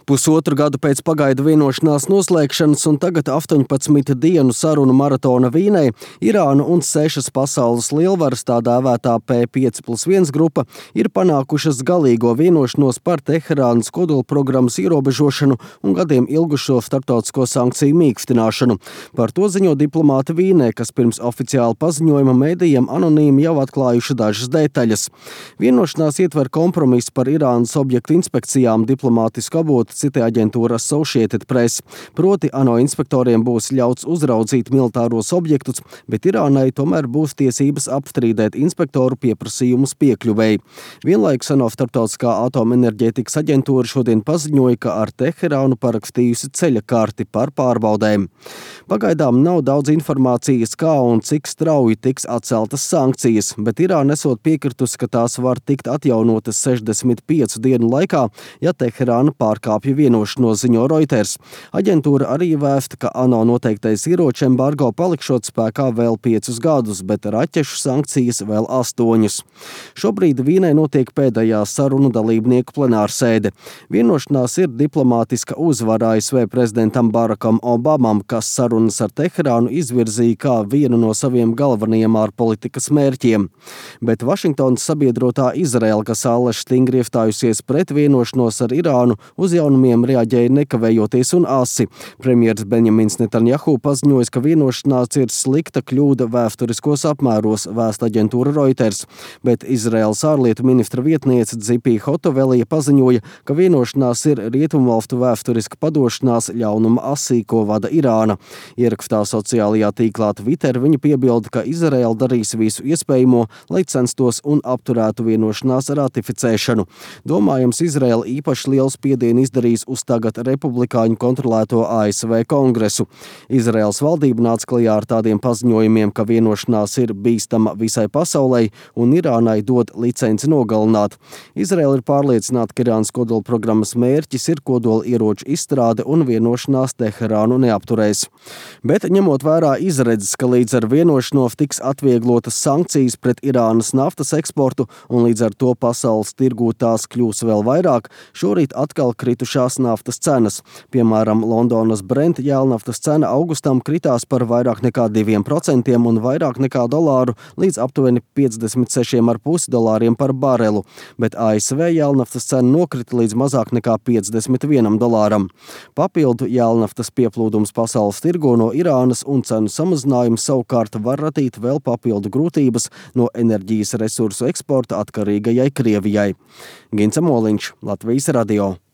Pusotru gadu pēc pagaidu vienošanās noslēgšanas un tagad 18 dienu sarunu maratona Vīnē Irāna un 6 pasaules lielvaras, tā dēvētā P5+1 grupa, ir panākušas galīgo vienošanos par Teherānas kodolprogrammas ierobežošanu un gadiem ilgušo starptautisko sankciju mīkstināšanu. Par to ziņo diplomāti Vīnē, kas pirms oficiāla paziņojuma mēdījiem anonīmi jau atklājuši dažas detaļas. Vienošanās ietver kompromisu par Irānas objektu inspekcijām, diplomātisku avotu cita aģentūra Associated Press. Proti, ANO inspektoriem būs ļauts uzraudzīt militāros objektus, bet Irānai tomēr būs tiesības apstrīdēt inspektoru pieprasījumus piekļuvēji. Vienlaikus ANO starptautiskā atomenerģētikas aģentūra šodien paziņoja, ka ar Teherānu parakstījusi ceļa karti par pārbaudēm. Pagaidām nav daudz informācijas, kā un cik strauji tiks atceltas sankcijas, bet Irāna esot piekritusi, ka tās var tikt atjaunotas 65 dienu laikā, ja Teherāna pārkāpja vienošanos, ziņo Reuters. Aģentūra arī vēsta, ka ANO noteiktais ieroču embargo palikšot spēkā vēl 5 gadus, bet raķešu sankcijas vēl 8. Šobrīd Vīnē notiek pēdējā sarunu dalībnieku plenārsēde. Vienošanās ir diplomātiska uzvara ASV prezidentam Barakam Obamam, kas sarunas ar Teherānu izvirzīja kā vienu no saviem galvenajiem ārpolitikas mērķiem. Bet Vašingtonas sabiedrotā Izraela, kas āleši stingri iestājusies pret vienošanos ar Irānu, uz jaunumiem reaģēja nekavējoties un asi. Premjers Benjamins Netanjahu paziņoja, ka vienošanās ir slikta kļūda vēsturiskos apmēros, vēsta aģentūra Reuters, bet Izraēlas ārlietu ministra vietniece Dzipi Hotovelija paziņoja, ka vienošanās ir rietumvalstu vēsturiska padošanās ļaunuma asī, ko vada Irāna. Ierakstā sociālajā tīklā Twitter viņa piebilda, ka Izraēla darīs visu iespējamo, lai censtos un apturētu vienošanās ratificēšanu. Domājams, Izraēla īpaši lielu spiedienu izdarīs uz tagad republikāņu kontrolēto ASV kongresu. Izraēlas valdība nāca klajā ar tādiem paziņojumiem, ka vienošanās ir bīstama visai pasaulei un Irānai dod licenci nogalināt. Izraēla ir pārliecināta, ka Irānas kodolprogrammas mērķis ir kodola ieroču izstrāde un vienošanās Teherānu neapturēs. Bet ņemot vērā izredzes, ka līdz ar vienošanos tiks atvieglotas sankcijas pret Irānas naftas eksportu un līdz ar to pasaules tirgū tās kļūs vēl vairāk, šorīt atkal kritušās naftas cenas. Piemēram, Londonas Brent jēlnaftas cena augustam kritās par vairāk nekā 2% un vairāk nekā dolāru līdz aptuveni $56,5 par barelu, bet ASV jēlnaftas cena nokrita līdz mazāk nekā $51. Papildu jēlnaftas pieplūdums pasaules tirgo no Irānas un cenu samazinājums savukārt var radīt vēl papildu grūtības no enerģijas resursu eksporta atkarīgajai Krievijai. Gints Moliņš, Latvijas radio.